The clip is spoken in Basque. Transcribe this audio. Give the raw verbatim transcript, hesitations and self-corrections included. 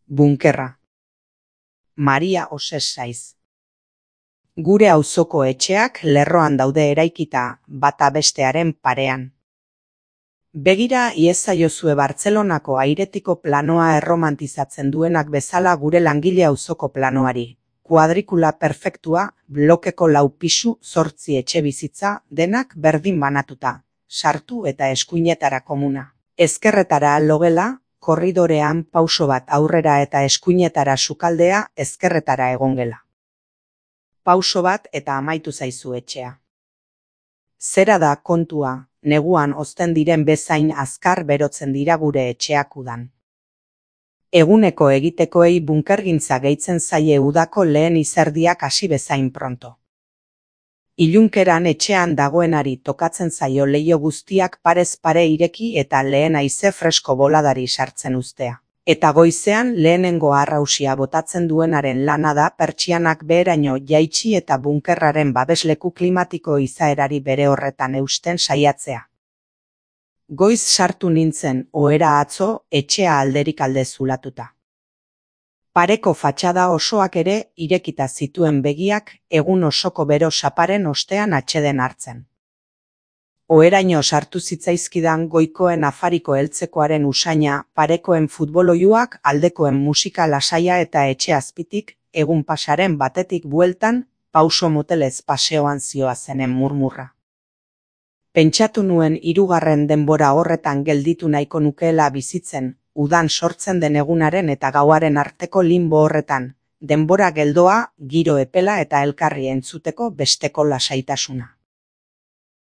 Bunkerra. Maria Oses Saiz. Gure auzoko etxeak lerroan daude eraikita, bata bestearen parean. Begira iezaiozue Bartzelonako airetiko planoa erromantizatzen duenak bezala gure langile auzoko planoari. Kuadrikula perfektua, blokeko lau pisu, zortzi etxe bizitza, denak berdin banatuta, sartu eta eskuinetara komuna. Ezkerretara logela, korridorean pauso bat aurrera eta eskuinetara sukaldea, ezkerretara egongela. Pauso bat eta amaitu zaizu etxea. Zera da kontua, neguan ozten diren bezain azkar berotzen dira gure etxeak udan. Eguneko egitekoei bunkergintza gehitzen zaie udako lehen izerdiak hasi bezain pronto. Ilunkeran etxean dagoenari tokatzen zaio leiho guztiak parez pare ireki eta lehen haize fresko boladari sartzen uztea. Eta goizean lehenengo arrausia botatzen duenaren lana da pertsianak beheraino jaitsi eta bunkerraren babesleku klimatiko izaerari bere horretan eusten saiatzea. Goiz sartu nintzen ohera atzo etxea alderik alde zulatuta. Pareko fatxada osoak ere irekita zituen begiak egun osoko bero saparen ostean atxeden hartzen. Oheraino sartu zitzaizkidan goikoen afariko heltzekoaren usaina, parekoen futboloiuak, aldekoen musika lasaia eta etxe azpitik, egun pasaren batetik bueltan, pauso motelez paseoan zioazenen murmurra. Pentsatu nuen hirugarren denbora horretan gelditu nahiko nukeela bizitzen, udan sortzen den egunaren eta gauaren arteko limbo horretan, denbora geldoa, giro epela eta elkarri entzuteko besteko lasaitasuna.